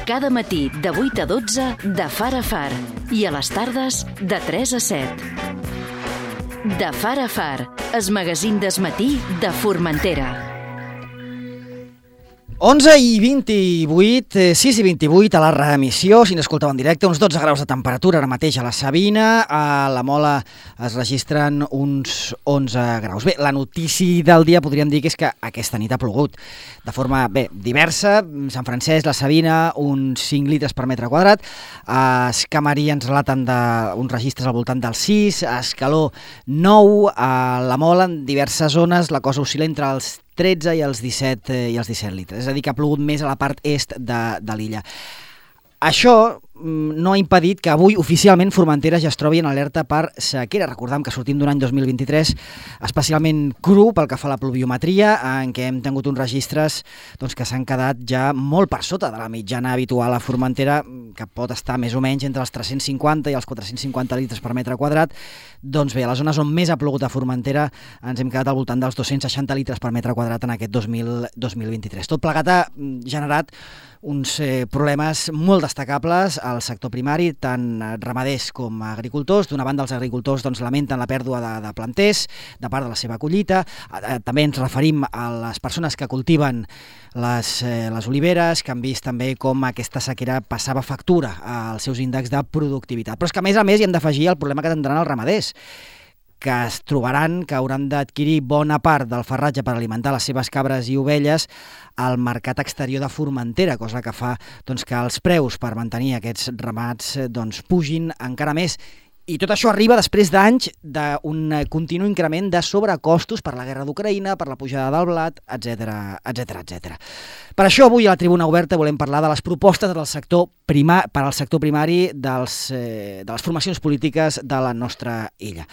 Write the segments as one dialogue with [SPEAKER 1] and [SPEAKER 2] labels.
[SPEAKER 1] Cada matí de 8 a 12 de Far a Far i a les tardes de 3 a 7. De Far a Far, el magazín del matí de Formentera.
[SPEAKER 2] 11 i 28, 6 i 28 a la reemissió, si n'escolteu en directe, uns 12 graus de temperatura ara mateix a la Sabina, a la Mola es registren uns 11 graus. Bé, la notícia del dia podríem dir que és que aquesta nit ha plogut de forma, diversa. Sant Francesc, la Sabina, uns 5 litres per metre quadrat, a Escamarí ens relaten uns registres al voltant dels 6, a Escaló 9, a la Mola en diverses zones la cosa oscil·la entre els 13 i els 17 litres. És a dir, que ha plogut més a la part est de l'illa. Això no ha impedit que avui oficialment Formentera ja es trobi en alerta per sequera. Recordem que sortim d'un any 2023 especialment cru pel que fa a la pluviometria, en què hem tingut uns registres que s'han quedat ja molt per sota de la mitjana habitual a Formentera, que pot estar més o menys entre els 350 i els 450 litres per metre quadrat. Doncs bé, a les zones on més ha plogut a Formentera ens hem quedat al voltant dels 260 litres per metre quadrat en aquest 2023. Tot plegat ha generat uns problemes molt destacables al sector primari, tant ramaders com agricultors. D'una banda, els agricultors lamenten la pèrdua de planters, de part de la seva collita. També ens referim a les persones que cultiven les oliveres, que han vist també com aquesta sequera passava factura als seus índexs de productivitat. Però és que, a més, hi hem d'afegir el problema que tindran els ramaders, que es trobaran que hauran d'adquirir bona part del farratge per alimentar les seves cabres i ovelles al mercat exterior de Formentera, cosa que fa que els preus per mantenir aquests ramats pugin encara més. I tot això arriba després d'anys d'un continu increment de sobrecostos per la guerra d'Ucraïna, per la pujada del blat, etc. Per això avui a la Tribuna Oberta volem parlar de les propostes per al sector primari de les formacions polítiques de la nostra illa.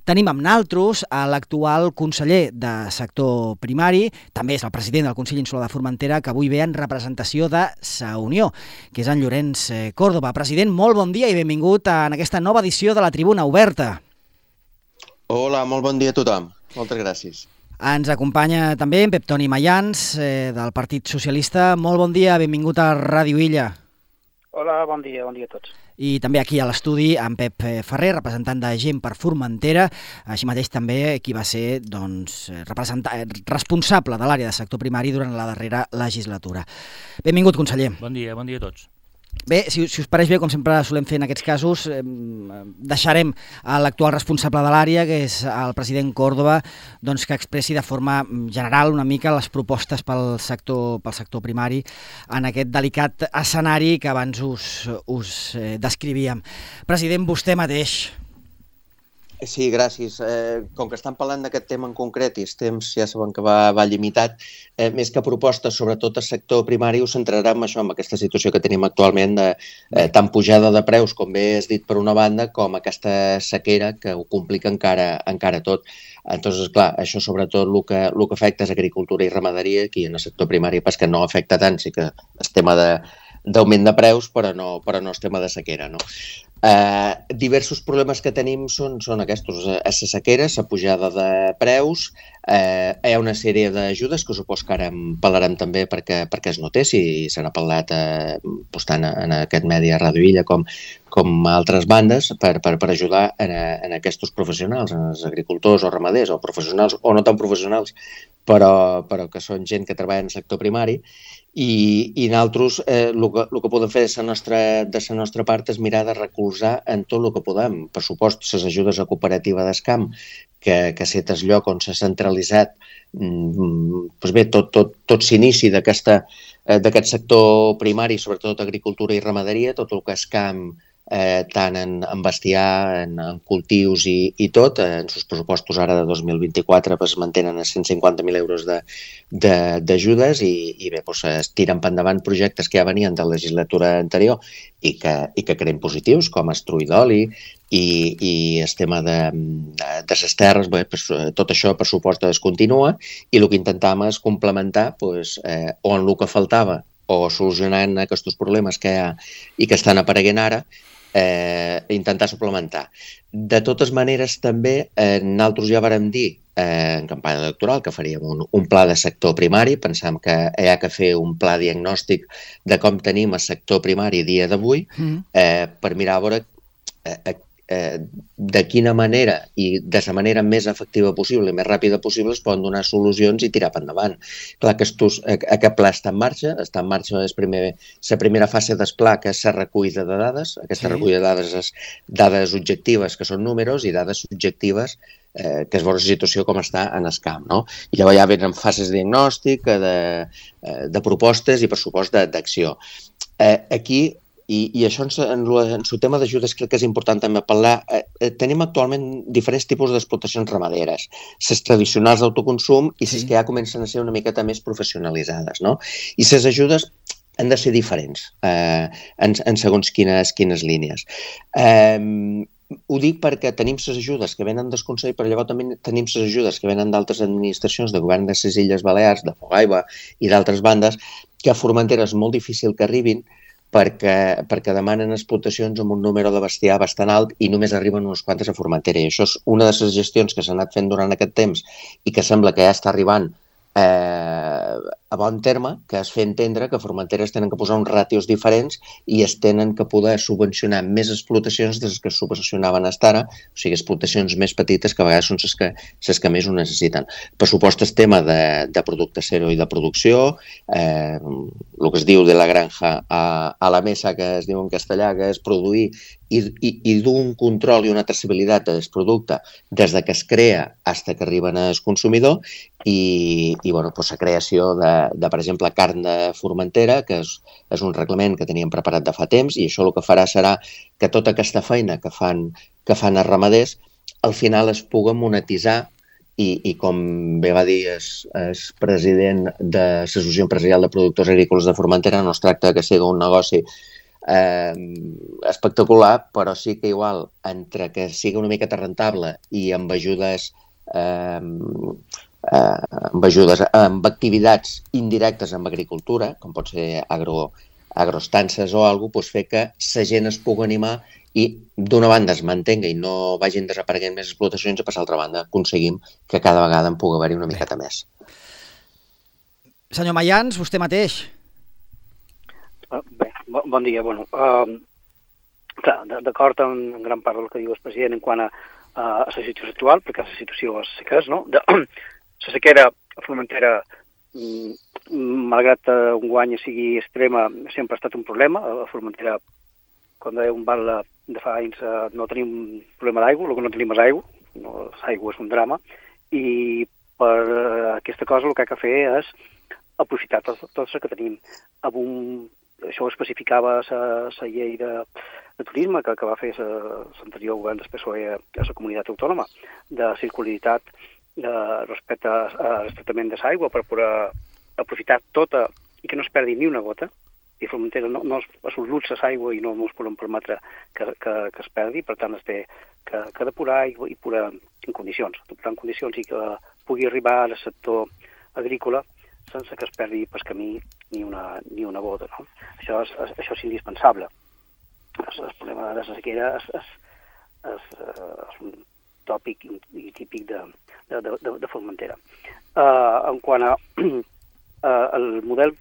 [SPEAKER 2] Tenim amb naltros a l'actual conseller de sector primari, també és el president del Consell Insular de Formentera, que avui ve en representació de Sa Unió, que és en Llorenç Córdoba. President, molt bon dia i benvingut en aquesta nova edició de la Tribuna Oberta.
[SPEAKER 3] Hola, molt bon dia a tothom. Moltes gràcies.
[SPEAKER 2] Ens acompanya també en Pep Toni Mayans, del Partit Socialista. Molt bon dia, benvingut a Ràdio Illa.
[SPEAKER 4] Hola, bon dia a tots.
[SPEAKER 2] I també aquí a l'estudi en Pep Ferrer, representant de Gent per Formentera, així mateix també qui va ser responsable de l'àrea de sector primari durant la darrera legislatura. Benvingut, conseller.
[SPEAKER 5] Bon dia a tots.
[SPEAKER 2] Bé, si us pareix bé, com sempre solem fer en aquests casos, deixarem a l'actual responsable de l'àrea, que és el president Córdoba, que expressi de forma general una mica les propostes pel sector primari en aquest delicat escenari que abans us descrivíem. President, vostè mateix.
[SPEAKER 3] Sí, gràcies. Com que estan parlant d'aquest tema en concret i els temps ja saben que va limitat, més que propostes, sobretot el sector primari, us centrarà en això, en aquesta situació que tenim actualment de tant pujada de preus, com bé has dit per una banda, com aquesta sequera que ho complica encara tot. Entonces, clar, això sobretot el que afecta és agricultura i ramaderia, aquí en el sector primari pas que no afecta tant, sí que el tema d'augment de preus, però no el tema de sequera, no? Diversos problemes que tenim són aquests, la sequera, la pujada de preus, hi ha una sèrie d'ajudes que supos que ara en parlarem també perquè es notés i se n'ha parlat tant en aquest medi a Ràdio Illa com a altres bandes per ajudar en aquests professionals, en els agricultors o ramaders o professionals o no tan professionals, però que són gent que treballa en el sector primari. I nosaltres el que podem fer de la nostra part és mirar de recolzar en tot el que podem. Per supost, les ajudes a cooperativa d'Escam, que set el lloc on s'ha centralitzat tot s'inici d'aquest sector primari, sobretot agricultura i ramaderia, tot el que és camp, tant en bestiar, en cultius i tot. En els pressupostos ara de 2024 es mantenen a 150.000 euros d'ajudes i bé, es tiren per endavant projectes que ja venien de la legislatura anterior i que creen positius, com el trull d'oli i el tema de les terres. Tot això, per supost, es continua i el que intentàvem és complementar on el que faltava o solucionant aquests problemes que hi ha i que estan apareguent ara, intentar suplementar. De totes maneres, també, nosaltres ja vàrem dir en campanya electoral, que faríem un pla de sector primari. Pensam que hi ha que fer un pla diagnòstic de com tenim el sector primari dia d'avui, per mirar a veure de quina manera i de la manera més efectiva possible i més ràpida possible es poden donar solucions i tirar per endavant. Clar que aquest pla està en marxa la primera fase del pla, que és la recollida de dades. Aquesta recollida de dades és dades objectives, que són números, i dades subjectives, que es veure la situació com està en el camp, no? I llavors ja venen fases de diagnòstic, de propostes i, per supost, d'acció. Aquí, i això en el tema d'ajudes crec que és important també parlar, tenim actualment diferents tipus d'explotacions ramaderes, les tradicionals d'autoconsum i les que ja comencen a ser una miqueta més professionalitzades, no? I les ajudes han de ser diferents en segons quines línies. Ho dic perquè tenim les ajudes que venen del Consell, però llavors també tenim les ajudes que venen d'altres administracions, de govern de les Illes Balears, de Fogaigua i d'altres bandes, que a Formentera és molt difícil que arribin perquè demanen explotacions amb un número de bestiar bastant alt i només arriben unes quantes a Formentera. I això és una de les gestions que s'ha anat fent durant aquest temps i que sembla que ja està arribant a bon terme, que es fa entendre que a Formentera es tenen que posar uns ràtios diferents i es tenen que poder subvencionar més explotacions des que es subvencionaven fins ara, o sigui, explotacions més petites que a vegades són les que més ho necessiten. Per supost, el tema de producte zero i de producció, el que es diu de la granja a la mesa, que es diu en castellà, que és produir i dur un control i una traçabilitat del producte des que es crea fins que arriben al consumidor i la creació de, per exemple, carn de Formentera, que és un reglament que teníem preparat de fa temps, i això el que farà serà que tota aquesta feina que fan els ramaders al final es pugui monetitzar i com bé va dir el president de l'Associació Empresarial de Productors Agrícoles de Formentera, no es tracta que sigui un negoci espectacular, però sí que igual entre que sigui una miqueta rentable i amb ajudes amb activitats indirectes amb agricultura, com pot ser agroestances o alguna cosa, fer que la gent es pugui animar i d'una banda es mantenga i no vagin desapareguent més explotacions i per l'altra banda aconseguim que cada vegada en pugui haver-hi una miqueta més.
[SPEAKER 2] Senyor Mayans, vostè mateix.
[SPEAKER 4] Bé, bon dia. Clar, d'acord amb gran part del que diu el president en quant a la situació actual, perquè la situació és que és, no? La sequera a Formentera, malgrat un guany sigui extrema, sempre ha estat un problema. A Formentera, quan dèiem de fa anys, no tenim problema d'aigua, el que no tenim és aigua, l'aigua és un drama, i per aquesta cosa el que ha de fer és aprofitar tot el que tenim. Això ho especificava la llei de turisme que va fer l'anterior govern del PSOE a la comunitat autònoma, de circularitat respecte al tractament de l'aigua per poder aprofitar tota i que no es perdi ni una gota. I a Formentera no és un luxe l'aigua i no ens podem permetre que es perdi, per tant es té que depurar i depurar en condicions, i que pugui arribar al sector agrícola sense que es perdi pel camí ni una gota, no? Això és indispensable. El problema de la sequera és un tòpic i típic de Formentera. En quant al model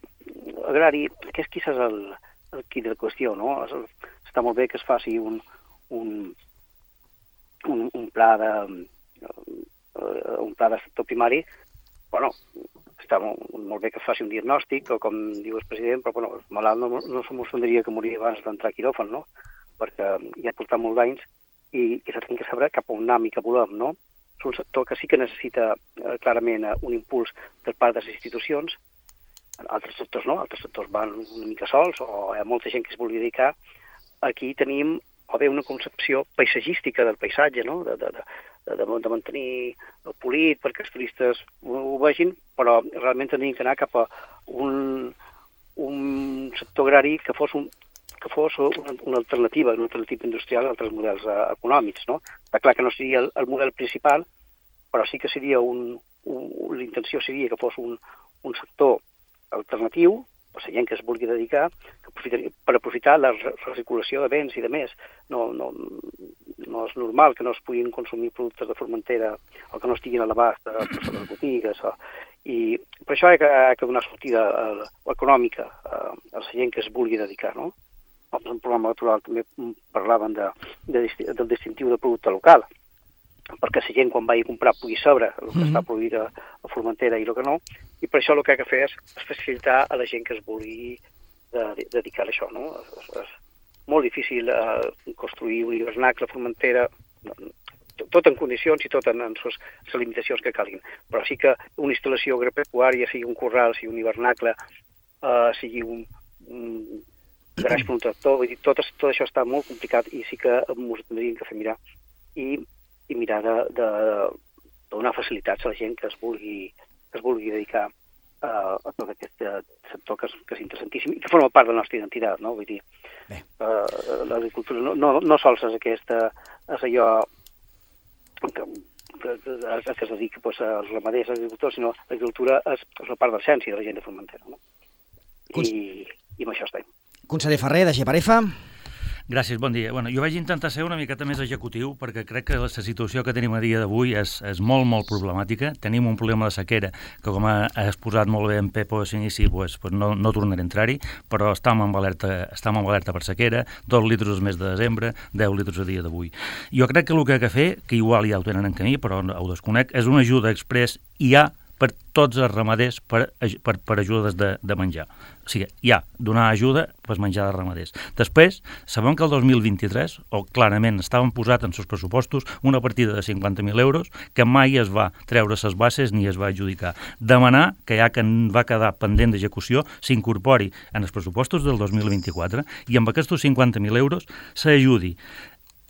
[SPEAKER 4] agrari, aquest quizás és el quid de la qüestió, no? Està molt bé que es faci un pla de sector primari. Bueno, està molt bé que faci un diagnòstic, o com diu el president, però el malalt no se m'ofendria que moria abans d'entrar a quiròfan, no? Perquè ja ha portat molts anys i s'ha de saber cap on anem i cap volem, no? És un sector que sí que necessita clarament un impuls per part de les institucions. Altres sectors no, altres sectors van una mica sols o hi ha molta gent que es vulgui dedicar. Aquí tenim o bé una concepció paisatgística del paisatge, no? De mantenir el polit perquè els turistes ho vegin, però realment tenim que anar cap a un sector agrari que fos una alternativa industrial a altres models econòmics, no? Està clar que no seria el model principal, però sí que seria l'intenció seria que fos un sector alternatiu, per la gent que es vulgui dedicar, per aprofitar la recirculació de béns i de més. No no és normal que no es puguin consumir productes de Formentera o que no estiguin a l'abast de les botigues. I per això hi ha que donar sortida econòmica a la gent que es vulgui dedicar, no? En el programa electoral també parlaven del distintiu de producte local, perquè la gent quan vagi a comprar pugui saber el que està produït a Formentera i el que no, i per això el que ha de fer és facilitar a la gent que es vulgui dedicar a això, no? És molt difícil construir un hivernacle a Formentera, tot en condicions i tot en les limitacions que calguin, però sí que una instal·lació agropecuària, sigui un corral, sigui un hivernacle, sigui un garaix per un tractor, vull dir, tot això està molt complicat i sí que ens tindríem que fer mirar i mirar de donar facilitats a la gent que es vulgui dedicar a tot aquest sector que és interessantíssim i que forma part de la nostra identitat, no? Vull dir, l'agricultura no sols és allò que es dedica als ramaders, als agricultors, sinó l'agricultura és una part de l'essència de la gent de Formentera, no? I amb això estem.
[SPEAKER 2] Conseller Ferrer, de Geparefa.
[SPEAKER 5] Gràcies, bon dia. Jo vaig intentar ser una miqueta més executiu perquè crec que la situació que tenim a dia d'avui és molt, molt problemàtica. Tenim un problema de sequera que, com ha exposat molt bé en Pepo a l'inici, no tornaré a entrar-hi, però estem amb alerta per sequera, 2 litres el mes de desembre, 10 litres a dia d'avui. Jo crec que el que ha de fer, que igual ja ho tenen en camí, però ho desconec, és una ajuda express i per tots els ramaders per ajudes de menjar. O sigui, donar ajuda per menjar de ramaders. Després, sabem que el 2023, o clarament estaven posat en els pressupostos una partida de 50.000 euros que mai es va treure les bases ni es va adjudicar. Demanar que ja que va quedar pendent d'execució s'incorpori en els pressupostos del 2024 i amb aquests 50.000 euros s'ajudi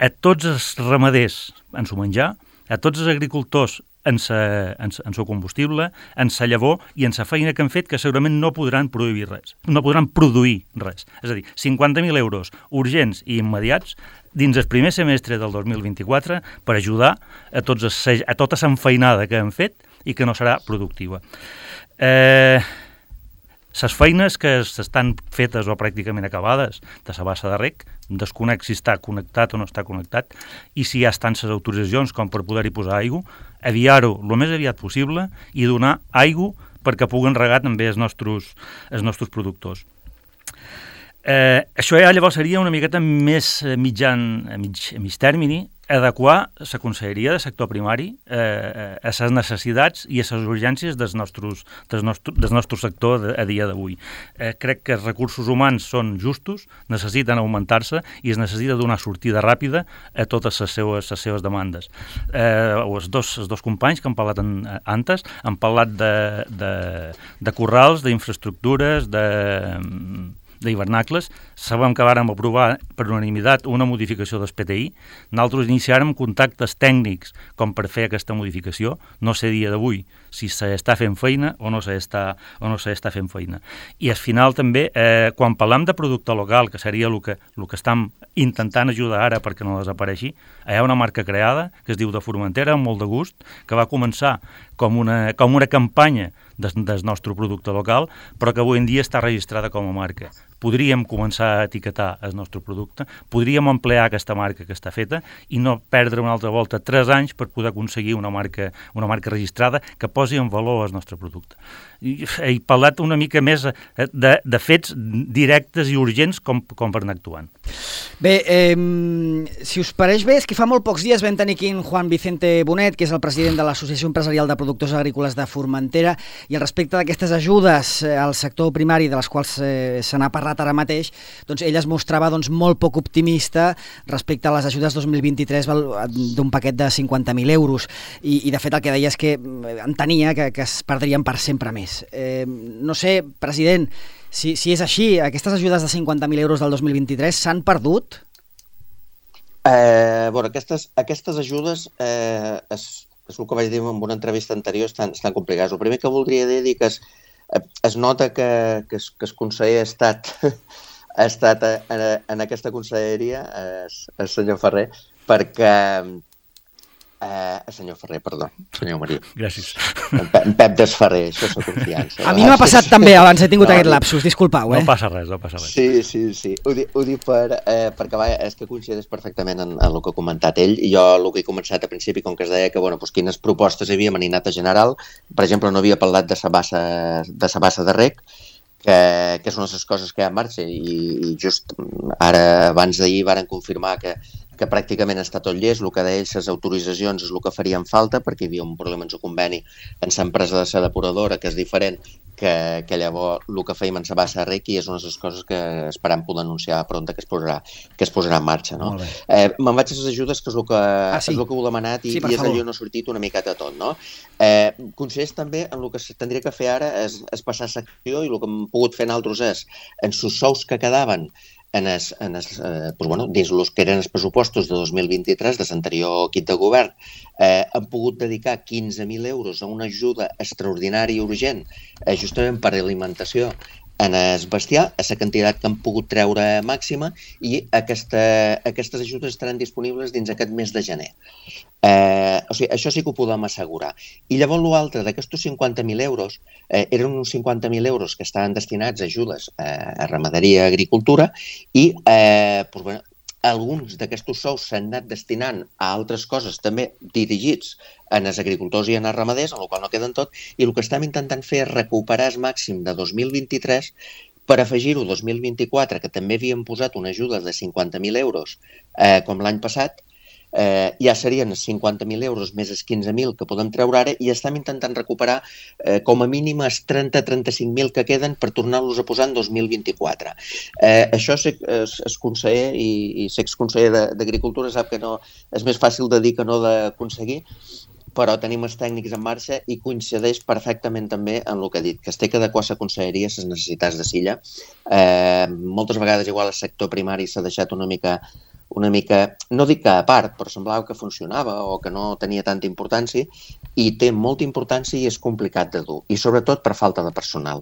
[SPEAKER 5] a tots els ramaders en su menjar, a tots els agricultors en seu combustible, en sa llavor i en sa feina que han fet que segurament no podran produir res. És a dir, 50.000 euros urgents i immediats dins el primer semestre del 2024 per ajudar a tota l'enfeinada que han fet i que no serà productiva. Les feines que estan fetes o pràcticament acabades de la bassa de rec, desconec si està connectat o no està connectat, i si ja estan les autoritzacions com per poder-hi posar aigua, aviar-ho el més aviat possible i donar aigua perquè puguen regar també els nostres productors. Això ja llavors seria una miqueta més a mig termini, adequar la conselleria de sector primari a les necessitats i a les urgències del nostre sector a dia d'avui. Crec que els recursos humans són justos, necessiten augmentar-se i es necessita donar sortida ràpida a totes les seves demandes. Els dos companys que han parlat antes han parlat de corrals, d'infraestructures, d'hivernacles. Sabem que vàrem aprovar per unanimitat una modificació del PTI. Nosaltres iniciàrem contactes tècnics com per fer aquesta modificació. No sé dia d'avui si s'està fent feina o no s'està fent feina. I al final també, quan parlem de producte local, que seria el que estem intentant ajudar ara perquè no desapareixi, hi ha una marca creada que es diu de Formentera, amb molt de gust, que va començar com una campanya del nostre producte local, però que avui en dia està registrada com a marca. Podríem començar a etiquetar el nostre producte, podríem emplear aquesta marca que està feta i no perdre una altra volta 3 anys per poder aconseguir una marca registrada que posi en valor el nostre producte. He parlat una mica més de fets directes i urgents com per anar actuant.
[SPEAKER 2] Bé, si us pareix bé, és que fa molt pocs dies vam tenir aquí en Juan Vicente Bonet, que és el president de l'Associació Empresarial de Productors Agrícoles de Formentera, i al respecte d'aquestes ajudes al sector primari, de les quals se n'ha parlat ara mateix, doncs ell es mostrava molt poc optimista respecte a les ajudes 2023 d'un paquet de 50.000 euros, i de fet el que deia és que entenia que es perdrien per sempre més. No sé, president, si és així, aquestes ajudes de 50.000 euros del 2023 s'han perdut?
[SPEAKER 3] Aquestes ajudes, és el que vaig dir en una entrevista anterior, estan complicades. El primer que voldria dir que es nota que el conseller ha estat en aquesta conselleria, el senyor Ferrer, perquè Senyor Ferrer, perdó, senyor Maria.
[SPEAKER 5] Gràcies.
[SPEAKER 3] En Pep Desferrer, això és la confiança.
[SPEAKER 2] A mi m'ha passat també abans, he tingut aquest lapsus, disculpau.
[SPEAKER 5] No passa res.
[SPEAKER 3] Sí. Ho dic perquè és que coincideix perfectament en el que ha comentat ell, i jo el que he començat a principi, com que es deia que quines propostes hi havia anat a general, per exemple, no havia parlat de sa bassa de rec, que és una de les coses que hi ha en marxa, i just ara, abans d'ahir, varen confirmar que pràcticament està tot llest. El que deia ells, les autoritzacions és el que farien falta, perquè hi havia un problema en el conveni en l'empresa de la depuradora, que és diferent, que llavors el que fèiem en la bassa de rec, i és una de les coses que esperam poder anunciar pronta que es posarà en marxa. No? Me'n vaig a les ajudes, que és el que heu demanat, i és allò no ha sortit una miqueta tot. No? Consisteix també en el que se tindria que fer ara és passar secció, i el que hem pogut fer nosaltres és, en els sous que quedaven dins els que eren els pressupostos de 2023 de l'anterior equip de govern, han pogut dedicar 15.000 euros a una ajuda extraordinària i urgent, justament per alimentació en el bestiar, a la quantitat que han pogut treure màxima, i aquestes ajudes estaran disponibles dins aquest mes de gener. Això sí que ho podem assegurar. I llavors l'altre d'aquests 50.000 euros eren uns 50.000 euros que estaven destinats a ajudes a ramaderia i agricultura, i alguns d'aquests sous s'han anat destinant a altres coses també dirigits en els agricultors i en els ramaders, en el qual no queden tot, i el que estem intentant fer és recuperar el màxim de 2023 per afegir-ho 2024, que també havíem posat una ajuda de 50.000 euros com l'any passat. Ja serien 50.000 euros més els 15.000 que podem treure ara, i estem intentant recuperar com a mínim els 30-35.000 que queden per tornar-los a posar en 2024. Això és conseller, i ser exconseller d'Agricultura sap que no és més fàcil de dir que no d'aconseguir, però tenim els tècnics en marxa i coincideix perfectament també en el que he dit, que es té que adequar la conselleria a les necessitats de Silla. Moltes vegades igual el sector primari s'ha deixat una mica, no dic que a part, però semblava que funcionava o que no tenia tanta importància, i té molta importància i és complicat de dur, i sobretot per falta de personal.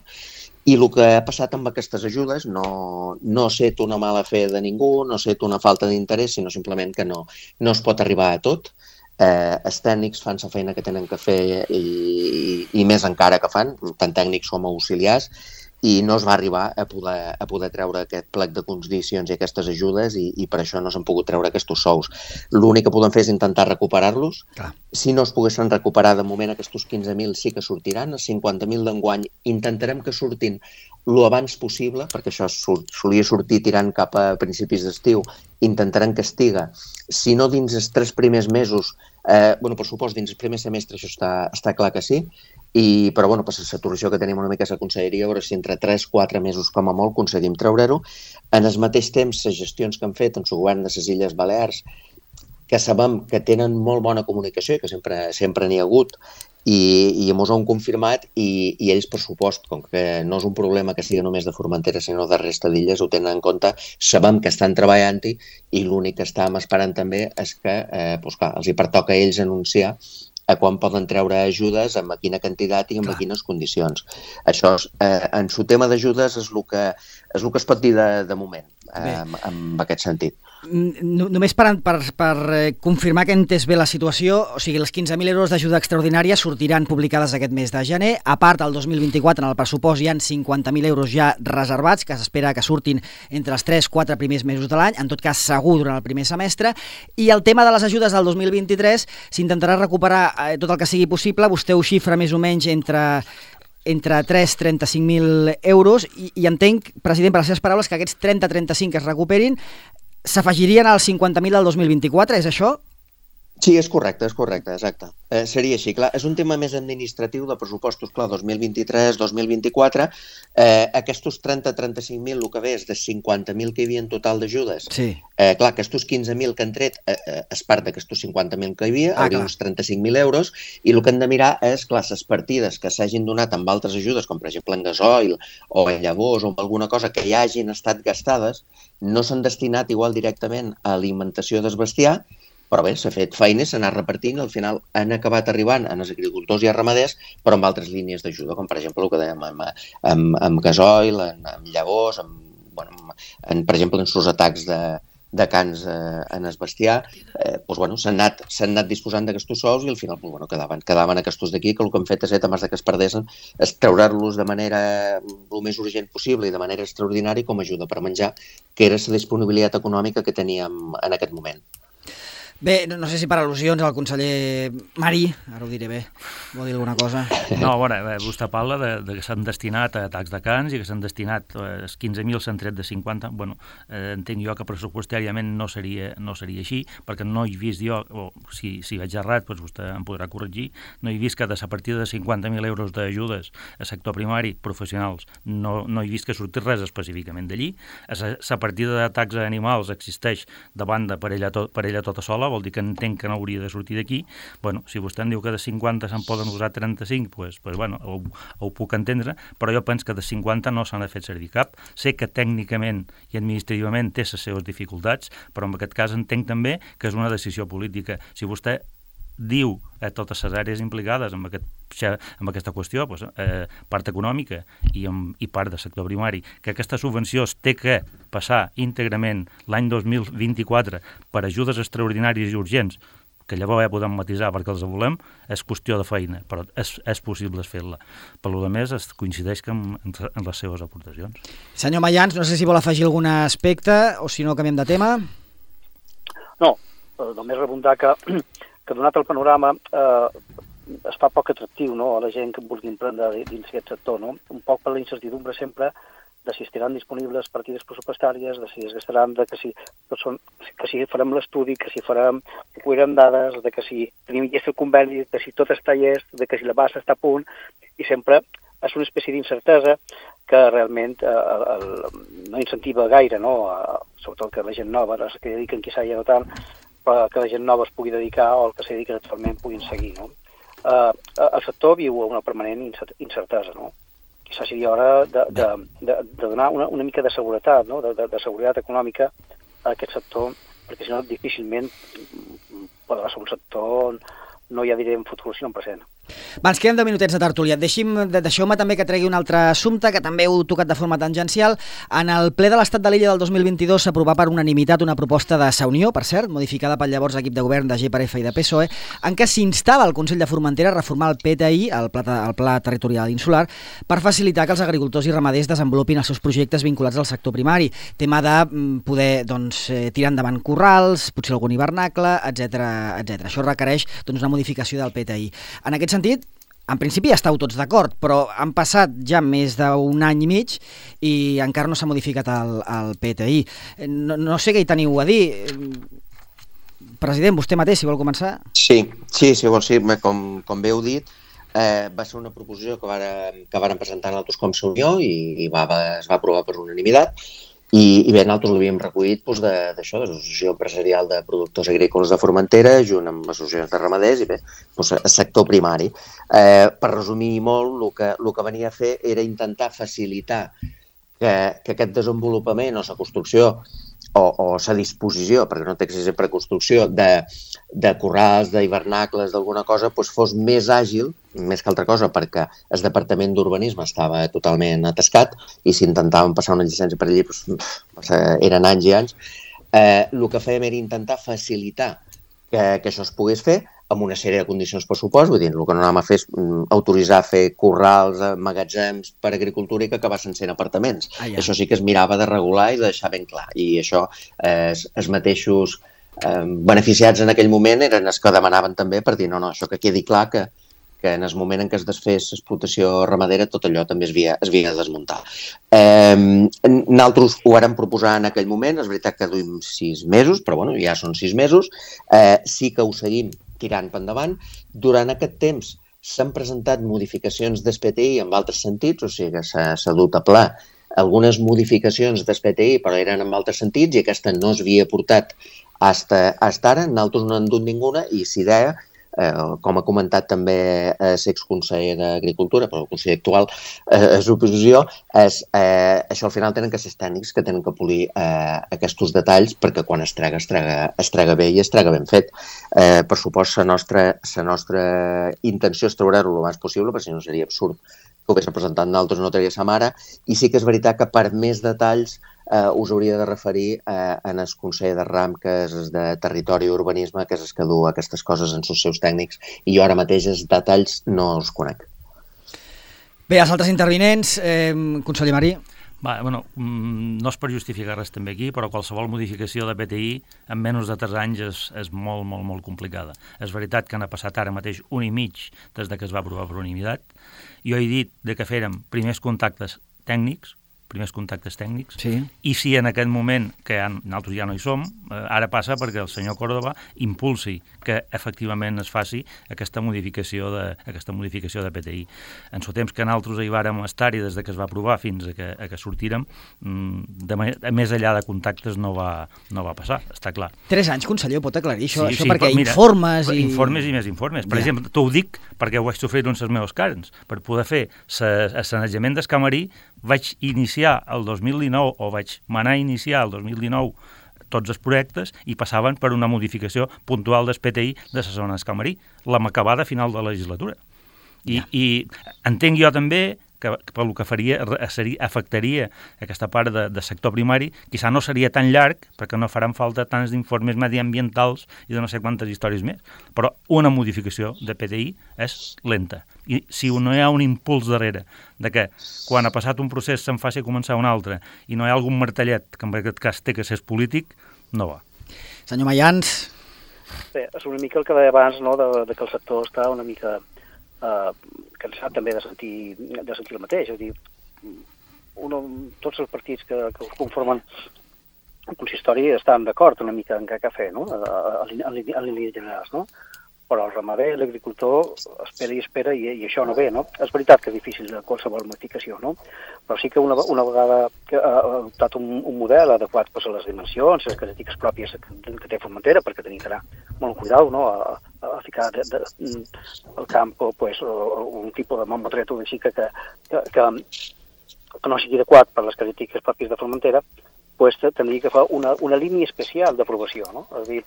[SPEAKER 3] I el que ha passat amb aquestes ajudes no ha estat una mala fe de ningú, no ha estat una falta d'interès, sinó simplement que no es pot arribar a tot. Els tècnics fan la feina que tenen que fer, i més encara que fan, tant tècnics com auxiliars, i no es va arribar a poder treure aquest plec de condicions i aquestes ajudes, i per això no s'han pogut treure aquests sous. L'únic que podem fer és intentar recuperar-los. Si no es poguessin recuperar de moment, aquests 15.000 sí que sortiran, els 50.000 d'enguany intentarem que surtin lo abans possible, perquè això solia sortir tirant cap a principis d'estiu, intentarem que estiga, si no dins els 3 primers mesos, per supost dins el primer semestre, això està clar que sí, però per la saturació que tenim una mica a la conselleria, a veure si entre 3-4 mesos com a molt aconseguim treure-ho. En el mateix temps, les gestions que han fet en el govern de les Illes Balears, que sabem que tenen molt bona comunicació i que sempre n'hi ha hagut, i ens ho han confirmat, i ells, per supost, com que no és un problema que sigui només de Formentera, sinó de resta d'illes, ho tenen en compte, sabem que estan treballant-hi, i l'únic que estàvem esperant també és que els hi pertoca a ells anunciar a quan poden treure ajudes, amb quina quantitat i amb quines condicions. Això, en el tema d'ajudes, és el que es pot dir de moment, en aquest sentit.
[SPEAKER 2] Només per confirmar que he entès bé la situació, o sigui, les 15.000 euros d'ajuda extraordinària sortiran publicades aquest mes de gener. A part, el 2024, en el pressupost, hi ha 50.000 euros ja reservats, que s'espera que surtin entre els 3-4 primers mesos de l'any, en tot cas segur durant el primer semestre. I el tema de les ajudes del 2023 s'intentarà recuperar tot el que sigui possible. Vostè ho xifra més o menys entre 3-35.000 euros, i entenc, president, per les seves paraules, que aquests 30-35 que es recuperin s'afegirien als 50.000 del 2024, és això?
[SPEAKER 3] Sí, és correcte, exacte. Seria així, clar. És un tema més administratiu de pressupostos, clar, 2023-2024. Aquests 30-35.000, el que ve és de 50.000 que hi havia en total d'ajudes.
[SPEAKER 2] Sí.
[SPEAKER 3] Clar, aquests 15.000 que han tret és part d'aquests 50.000 que hi havia, hauria uns 35.000 euros, i el que hem de mirar és, clar, les partides que s'hagin donat amb altres ajudes, com per exemple en gasoil o en llavors o en alguna cosa que ja hagin estat gastades, no s'han destinat igual directament a alimentació del bestiar, però bé, s'ha fet feina, s'ha anat repartint, al final han acabat arribant als agricultors i als ramaders, però amb altres línies d'ajuda, com per exemple el que dèiem amb gasoil, amb llavors, per exemple en els atacs de cans en el bestiar, s'han anat disposant d'aquests sous i al final quedaven aquests d'aquí, que el que hem fet és, abans que es perdessin, és treure'ls de manera el més urgent possible i de manera extraordinària com a ajuda per menjar, que era la disponibilitat econòmica que teníem en aquest moment.
[SPEAKER 2] Bé, no sé si per al·lusions al conseller Mari, ara ho diré bé, vol dir alguna cosa?
[SPEAKER 5] No, bueno, vostè parla de que s'han destinat a atacs de cans i que s'han destinat els 15.000 s'han tret de 50. Bueno, entenc jo que pressupostàriament no seria així, perquè no he vist jo, o si vaig errat, doncs vostè em podrà corregir, no he vist que a partir de 50.000 euros d'ajudes al sector primari professionals no he vist que surti res específicament d'allí. La partida d'atacs a animals existeix de banda per ella tota sola, vol dir que entenc que no hauria de sortir d'aquí. Bueno, si vostè em diu que de 50 se'n poden usar 35, doncs bueno, ho puc entendre, però jo penso que de 50 no s'han de fer servir cap. Sé que tècnicament i administrativament té les seves dificultats, però en aquest cas entenc també que és una decisió política. Si vostè diu a totes les àrees implicades amb aquesta qüestió, part econòmica i part del sector primari, que aquesta subvenció es té que passar íntegrament l'any 2024 per ajudes extraordinàries i urgents, que llavors ja podem matisar perquè els volem, és qüestió de feina, però és possible fer-la. Per lo més, es coincideix en les seves aportacions.
[SPEAKER 2] Senyor Mayans, no sé si vol afegir algun aspecte o si no canviem de tema.
[SPEAKER 4] No, només rebundar que donat el panorama es fa poc atractiu, no?, a la gent que vulgui emprendre dins aquest sector, no? Un poc per la incertidumbre sempre de si estaran disponibles partides pressupostàries, de si es gastaran, de que si farem l'estudi, que si recullirem dades, de que si tenim llest el conveni, de si tot està llest, de que si la base està a punt, i sempre és una espècie d'incertesa que realment no incentiva gaire, no?, sobretot que la gent nova, els que dediquen quizà ja no tant, però que la gent nova es pugui dedicar o el que s'hi dediquen actualment puguin seguir, no? El sector viu una permanent incertesa, no? Quizás seria hora de donar una mica de seguretat, no?, de seguretat econòmica a aquest sector, perquè si no difícilment podrà ser un sector, no ja diré en futur, sinó en present.
[SPEAKER 2] Va, ens queden 10 minutets de tertúlia. Deixeu-me també que tregui un altre assumpte que també heu tocat de forma tangencial. En el ple de l'Estat de l'Illa del 2022 s'aprovà per unanimitat una proposta de Sa Unió, per cert, modificada pel llavors equip de govern de GPRF i de PSOE, en què s'instava el Consell de Formentera a reformar el PTI, el Pla Territorial Insular, per facilitar que els agricultors i ramaders desenvolupin els seus projectes vinculats al sector primari. Tema de poder tirar endavant corrals, potser algun hivernacle, etc. Això requereix una modificació del PTI. En aquest sentit, en principi ja estàu tots d'acord, però han passat ja més d'un any i mig i encara no s'ha modificat el PTI. No sé què hi teniu a dir. President, vostè mateix, si vol començar.
[SPEAKER 3] Sí, com bé heu dit, va ser una proposició que varen presentar nosaltres com Sa Unió i es va aprovar per unanimitat. I bé, nosaltres l'havíem recollit d'això, de l'Associació Empresarial de Productors Agrícoles de Formentera, junt amb associacions de ramaders i bé, el sector primari. Per resumir molt, el que venia a fer era intentar facilitar que aquest desenvolupament o la construcció o la disposició, perquè no té que ser sempre construcció, de corrals, d'hivernacles, d'alguna cosa, fos més àgil, més que altra cosa, perquè el Departament d'Urbanisme estava totalment atascat i si intentàvem passar una llicència per allí eren anys i anys. El que fèiem era intentar facilitar que això es pogués fer amb una sèrie de condicions per supost, vull dir, el que no anàvem a fer és autoritzar a fer corrals, magatzems per agricultura i que acabassin sent apartaments. Això sí que es mirava de regular i de deixar ben clar. I això, els mateixos beneficiats en aquell moment eren els que demanaven també per dir, no, això que quedi clar que en el moment en què es desfés l'explotació ramadera tot allò també es havia de desmuntar. Nosaltres ho vàrem proposar en aquell moment, és veritat que duim 6 mesos, però bueno, ja són 6 mesos, sí que ho seguim tirant per endavant. Durant aquest temps s'han presentat modificacions del PTI en altres sentits, o sigui que s'ha dut a pla algunes modificacions del PTI, però eren en altres sentits i aquesta no s'havia portat fins ara. Nosaltres no hem dut ninguna i si deia, com ha comentat també l'exconseller d'Agricultura, però el conseller actual és l'oposició, això al final tenen que ser tècnics que tenen que polir aquests detalls perquè quan es trega bé i es trega ben fet. Per supost, la nostra intenció és treure-ho el més possible, perquè si no seria absurd que ho hagués presentat nosaltres no tenia sa mare, i sí que és veritat que per més detalls us hauria de referir en el Consell de RAM, que és de Territori i Urbanisme, que és el que du aquestes coses en els seus tècnics, i jo ara mateix els detalls no els conec.
[SPEAKER 2] Bé, els altres intervinents, conseller Marí.
[SPEAKER 5] No és per justificar res també aquí, però qualsevol modificació de PTI en menys de 3 anys és molt, molt, molt complicada. És veritat que n'ha passat ara mateix 1 any i mig des que es va aprovar per unanimitat. Jo he dit que fèrem primers contactes tècnics, sí. I si en aquest moment, que nosaltres ja no hi som, ara passa perquè el senyor Córdoba impulsi que efectivament es faci aquesta modificació de PTI. En el temps que nosaltres hi vàrem estar-hi des que es va aprovar fins a que sortírem, més enllà de contactes no va passar, està clar.
[SPEAKER 2] 3 anys, conseller, ho pot aclarir això?
[SPEAKER 5] Sí,
[SPEAKER 2] això perquè
[SPEAKER 5] mira,
[SPEAKER 2] informes i...
[SPEAKER 5] Informes i més informes. Per exemple, t'ho dic perquè ho vaig sofrir en els meus carns. Per poder fer el sanejament del camarí vaig iniciar el 2019 o vaig manar a iniciar el 2019 tots els projectes i passaven per una modificació puntual del PTI de la zona del camarí, la m'acabada a final de la legislatura. I entenc jo també que pel que afectaria aquesta part de sector primari, quizà no seria tan llarg perquè no faran falta tants informes mediambientals i de no sé quantes històries més, però una modificació de PTI és lenta. I si no hi ha un impuls darrere de que quan ha passat un procés se'n faci començar un altre i no hi ha algun martellet, que en aquest cas té que ser polític, no va.
[SPEAKER 2] Senyor Mayans.
[SPEAKER 4] Bé, és una mica el que deia abans, no?, de que el sector està una mica cansat també de sentir el mateix. És a dir, tots els partits que conformen el consistori estan d'acord una mica en què fer, no?, en línies generals, no? Però el ramader, l'agricultor, espera i això no ve, no? És veritat que és difícil de qualsevol modificació, no? Però sí que una vegada que ha adoptat un model adequat a les dimensions, les característiques pròpies que té Formentera, perquè tenim que anar molt cuidau, no?, a ficar al camp un tipus de mamotreto així que no sigui adequat per les característiques pròpies de Formentera, tindria que fer una línia especial d'aprovació, no? És a dir,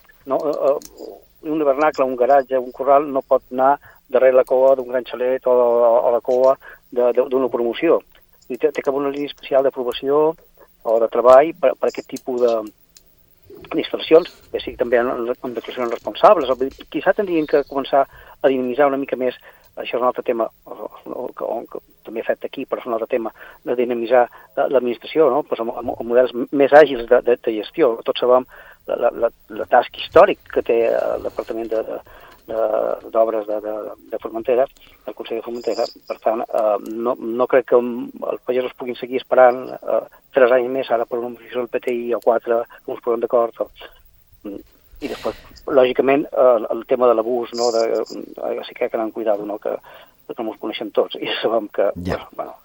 [SPEAKER 4] un hivernacle, un garatge, un corral no pot anar darrere la cua d'un gran xalet o la cua d'una promoció. Té que haver una línia especial d'aprovació o de treball per aquest tipus d'instal·lacions, que sigui també amb declaracions responsables. Quizà tindrien que començar a dinamitzar una mica més, això és un altre tema, que també he fet aquí, però és un altre tema, de dinamitzar l'administració, no?, amb models més àgils de gestió. Tots sabem la tasca històric que té el Departament d'Obres de Formentera, el Consell de Formentera. Per tant, no crec que els pagesos puguin seguir esperant 3 anys més ara per una modificació del PTI o 4, que ens posem d'acord. I després, lògicament, el tema de l'abús, no?, sí que anar amb cuidado, no?, que no ens coneixem tots i sabem que,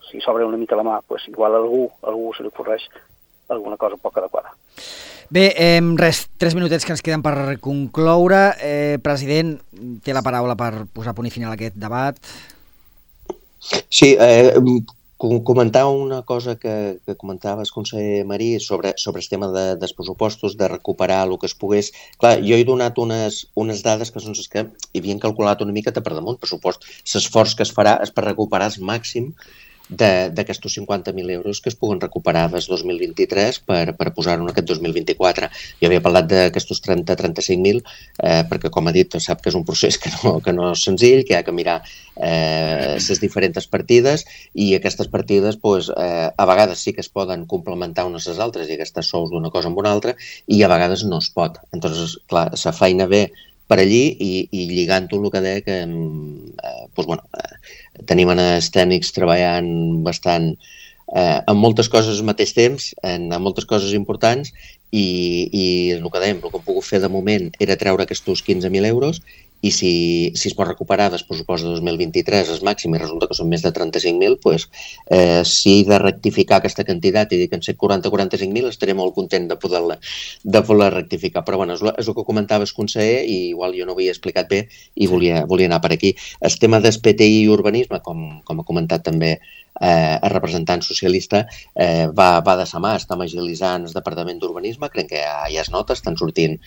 [SPEAKER 4] si s'obre una mica la mà, igual a algú se li ocorreix alguna cosa poc adequada.
[SPEAKER 2] Bé, 3 minutets que ens queden per concloure. President, té la paraula per posar punt i final a aquest debat.
[SPEAKER 3] Sí, comentar una cosa que comentaves, conseller Marí, sobre el tema dels pressupostos, de recuperar el que es pogués. Clar, jo he donat unes dades que són les que hi havien calculat una mica per damunt pressupost. L'esforç que es farà és per recuperar el màxim d'aquests 50.000 euros que es puguen recuperar des 2023 per posar-ho en aquest 2024. Jo havia parlat d'aquests 30-35.000 perquè, com ha dit, sap que és un procés que no és senzill, que hi ha que mirar les diferents partides i aquestes partides a vegades sí que es poden complementar unes a les altres i aquestes sous d'una cosa amb una altra i a vegades no es pot. Entonces, clar, la feina ve per allí i lligant-ho el que deia que tenim els tècnics treballant bastant en moltes coses al mateix temps, en moltes coses importants i el que dèiem, el que hem pogut fer de moment era treure aquests 15.000 euros i si es pot recuperar del pressupost de 2023 el màxim i resulta que són més de 35.000, si he de rectificar aquesta quantitat i dir que en ser 40-45.000 estaré molt content de poder rectificar. Però bueno, és el que comentava el conseller i igual jo no ho havia explicat bé i volia anar per aquí. El tema del PTI i urbanisme, com ha comentat també el representant socialista, va de sa mà, estem agilitzant el Departament d'Urbanisme, crec que ja es nota, estan sortint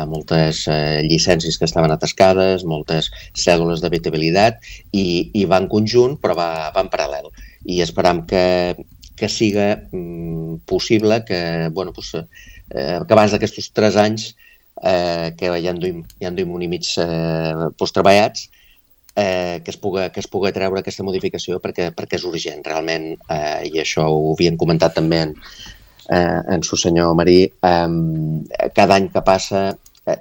[SPEAKER 3] moltes llicències que estaven atascades, moltes cèdules d'habitabilitat i va en conjunt però va en paral·lel i esperam que que siga possible que, que abans d'aquests 3 anys, que ja en duim un i mig treballats, que es puga treure aquesta modificació perquè és urgent, realment, i això ho havien comentat també en su senyor Marí, cada any que passa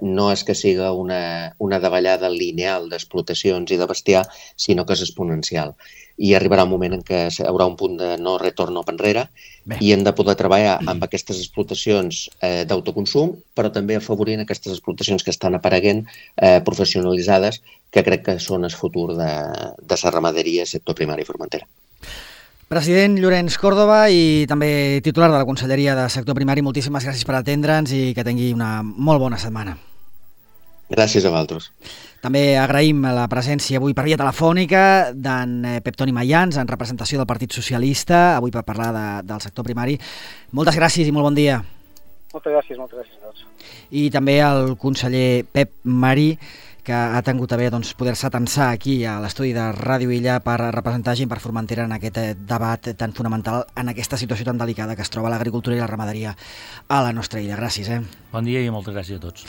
[SPEAKER 3] no és que siga una davallada lineal d'explotacions i de bestiar, sinó que és exponencial. I arribarà un moment en què hi haurà un punt de no retorn cap enrere i hem de poder treballar amb aquestes explotacions d'autoconsum, però també afavorint aquestes explotacions que estan apareguent, professionalitzades, que crec que són el futur de la ramaderia, sector primari i formentera.
[SPEAKER 2] President Llorenç Còrdova i també titular de la Conselleria de Sector Primari, moltíssimes gràcies per atendre'ns i que tingui una molt bona setmana.
[SPEAKER 3] Gràcies a vosaltres.
[SPEAKER 2] També agraïm la presència avui per via telefònica d'en Pep Toni Mayans, en representació del Partit Socialista, avui per parlar del sector primari. Moltes gràcies i molt bon dia.
[SPEAKER 4] Moltes gràcies a tots.
[SPEAKER 2] I també al conseller Pep Marí, que ha tingut a bé poder-se atensar aquí a l'estudi de Ràdio Illa per representar gent per Formentera en aquest debat tan fonamental en aquesta situació tan delicada que es troba l'agricultura i la ramaderia a la nostra illa. Gràcies.
[SPEAKER 5] Bon dia i moltes gràcies a tots.